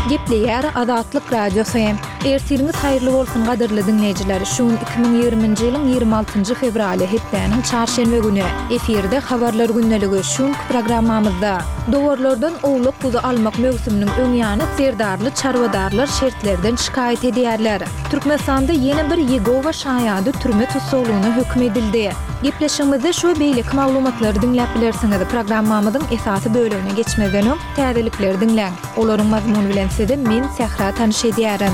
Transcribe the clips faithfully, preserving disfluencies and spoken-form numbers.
Gepleýär Azatlyk Radiosy. Ertiriňiz haýyrly bolsun gadyrly diňleýjiler. Şu gün iki müň ýigriminji ýylyň ýigrimi altynjy fewraly, hepdäniň çarşenbe güni. Efirde Habarlar gündeligi. Şu günki programmamyzda. Dowarlardan owlak-guzy almak möwsüminiň öň ýany serdarly çarwadarlar şertlerden şikaýat edýärler. Türkmenistanda ýene bir Ýegowa şaýady türme tussaglygyna höküm edildi. Gepleşigimizde şu we beýleki maglumatlary diňläp bilersiňiz. Programmamyzyň esasy bölegine geçmezden öň, täzelikleri diňläň. Olaryň mazmuny bilen sizi men, Sähra tanyş edýärin.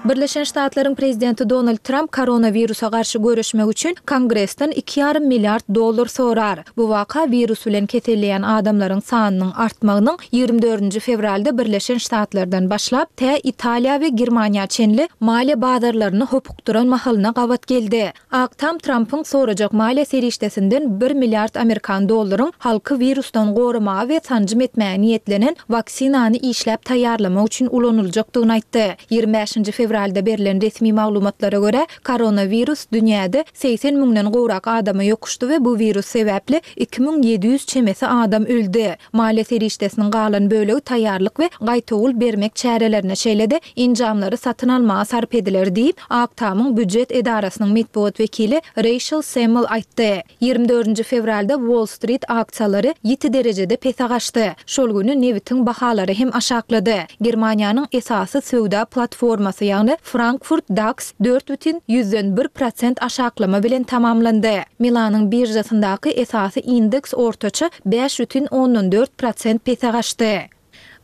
Birleşen Ştatlaryň prezidenti Donald Tramp koronawirusa garşy göreşmek üçin Kongresden iki ýarym milliard dollar sorar. Bu waka wirus bilen keselleýän adamlaryň sanynyň artmagynyň ýigrimi dördünji fewralda Birleşen Ştatlardan başlap, tä Italiýa we Germaniýa çenli maliýe bazarlaryny hopukdyran mahalyna gabat geldi. Ak Tam Trampyň sorajak maliýe serişdesinden bir milliard amerikan dollaryň halky wirusdan goramaga we sanjym etmäge niýetlenen waksinany işläp taýýarlamak üçin ulanyljakdygyny aýtdy. Ýigrimi bäşinji fewralda berlen resmi maglumatlara görä, koronawirus dünýäde segsen müňden gowrak adama ýokuşdy we bu wirus sebäpli iki müň ýedi ýüz çemesi adam öldi. Maliýe serişdesiniň galan bölegi taýýarlyk we gaýtawul bermek çärelerine, şeýle-de enjamlary satyn almaga sarp ediler diýip, Ak Tamyň býujet edarasynyň metbugat wekili Reýşel Semmel aýtdy. Ýigrimi dördünji fewralda Wall-Strit aksiýalary ýiti derejede pese gaçdy. Şol güni nebitiň bahalary hem aşaklady. Germaniýanyň esasy söwda platformasy, ýagny Frankfurt DAX dört bütin ýüzden bir prosent aşaklama bilen tamamlandy. Milanyň biržasyndaky esasy indeks ortaça bäş bütin ondan dört prosent pese gaçdy.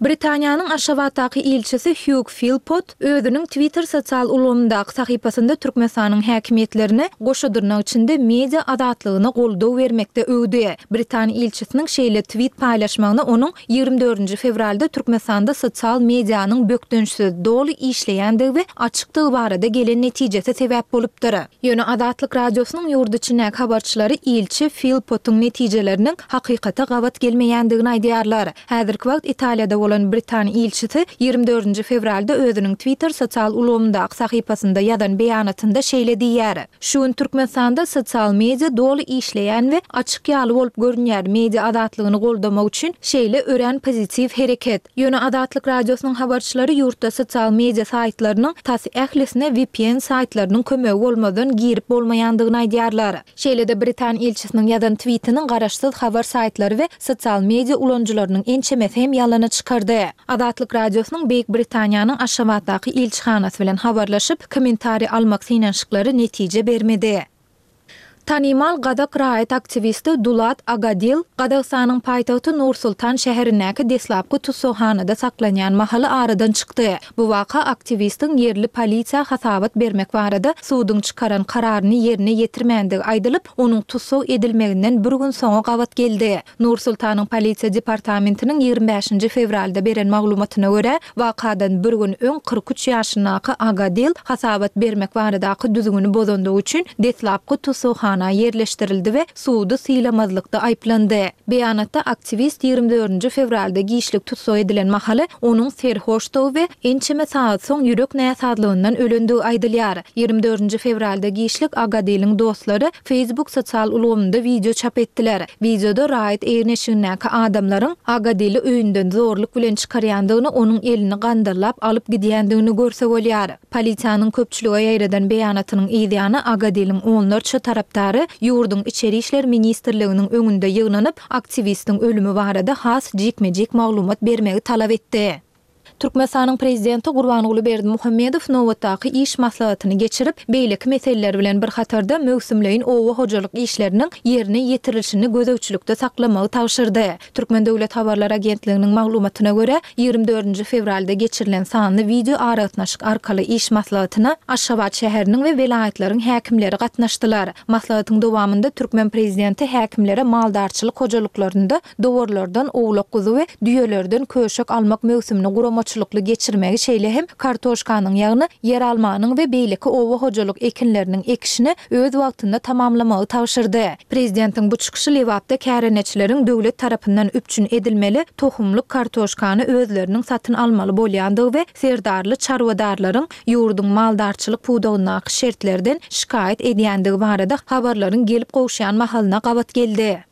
Britaniýanyň Aşgabatdaky ilçisi Hýug Filpot özüniň Twitter sosial ulgamyndaky sahypasynda Türkmenistanyň häkimiýetlerini goşa dyrnak içinde media azatlygyna goldaw bermekde öwdi. Britan ilçisiniň şeýle twit paýlaşmagyna onuň ýigrimi dördünji fewralda Türkmenistanda sosial medianyň bökdençsiz, doly işleýändigi we açykdygy barada gelen netijesi sebäp bolupdyr. Ýöne Azatlyk Radiosynyň ýurt içindäki habarçylary ilçi Filpotyň netijeleriniň hakykata gabat gelmeýändigini aýdýarlar. Häzirki wagt Italiýada bolan britan ilçisi ýigrimi dördünji fewralda özüniň Twitter sosial ulgamyndaky sahypasynda ýazan beýanatynda şeýle diýýär, Şu gün Türkmenistanda sosial media doly işleýän we açyk ýaly bolup görünýär, media azatlygyny goldamak üçin şeýle örän pozitiw hereket. Ýöne Azatlyk Radiosynyň habarçylary ýurtda sosial media saýtlarynyň tas ählisine vpn saýtlarynyň kömegi bolmazdan girip bolmaýandygyny aýdýarlar. Şeýle-de britan ilçisiniň ýazan twitiniň garaşsyz habar saýtlary we sosial media ulanyjylarynyň ençemesi hem ýalana çykardy. Azatlyk Radiosynyň Beýik Britaniýanyň Aşgabatdaky ilçihanasy bilen habarlaşyp, kommentariý almak synanyşyklary netije bermedi. Tanymal gazak raýat aktiwisti Dulat Agadil Gazagystanyň paýtagty Nur-Sultan şäherindäki deslapky tussaghanada saklanýan mahaly aradan çykdy. Bu waka aktiwistiň ýerli polisiýa hasabat bermek barada suduň çykaran kararyny ýerine ýetirmändigi aýdylyp, onuň tussag edilmeginden bir gün soňa gabat geldi. Nur-Sultanyň polisiýa departamentiniň ýigrimi bäşinji fewralda beren maglumatyna görä, wakadan bir gün öň kyrk üç ýaşyndaky Agadil hasabat bermek baradaky düzgüni bozandygy üçin deslapky tussaghana ýerleşdirildi we sudy sylamazlykda aýyplandy. Beýanatda aktiwist ýigrimi dördünji fewralda giçlik tussag edilen mahaly onuň serhoşdygy we ençeme sagat soň ýürek näsazlygyndan ölendigi aýdylýar. Ýigrimi dördünji fewralda giçlik Agadiliň dostlary Facebook sosial ulgamynda wideo çap etdiler. Wideoda raýat egin-eşigindäki adamlaryň Agadili öýünden zorluk bilen çykarýandygyny, onuň elini gandallap alyp gidýändigini görse bolýar. Polisiýanyň köpçülige ýaýradan beýanatynyň yzýany Agadiliň onlarça tarapdary ýurduň Içeri işler ministrliginiň öňünde ýygnanyp, aktiwistiň ölümi barada has jikme-jik maglumat bermegi talap etdi. Türkmenistanyň Prezidenti Gurbanguly Berdimuhamedow nobatdaky iş maslahatyny geçirip, beýleki meseleler bilen bir hatarda möwsümleýin oba hojalyk işleriniň ýerine ýetirilişini gözegçilikde saklamagy tabşyrdy. Türkmen döwlet habarlar agentliginiň maglumatyna görä, ýigrimi dördünji fewralda geçirilen sanly wideoaragatnaşyk arkaly iş maslahatyna Aşgabat şäheriniň we welaýatlaryň häkimleri gatnaşdylar. Maslahatyň dowamynda türkmen prezidenti häkimlere maldarçylyk hojalyklarynda dowarlardan owlak-guzy we düýelerden köşek almak möwsümini guramaçylykly geçirmegi, şeýle hem kartoşkanyň, ýagny ýeralmanyň we beýleki oba hojalyk ekinleriniň ekişini öz wagtynda tamamlamagy tabşyrdy. Prezidentiň bu çykyşy Lebapda kärendeçileriň döwlet tarapyndan üpjün edilmeli tohumlyk kartoşkany özleriniň satyn almaly bolýandygy we serdarly çarwadarlaryň ýurduň maldarçylyk pudagyndaky şertlerden şikaýat edýändigi barada habarlaryň gelip gowuşýan mahalyna gabat geldi.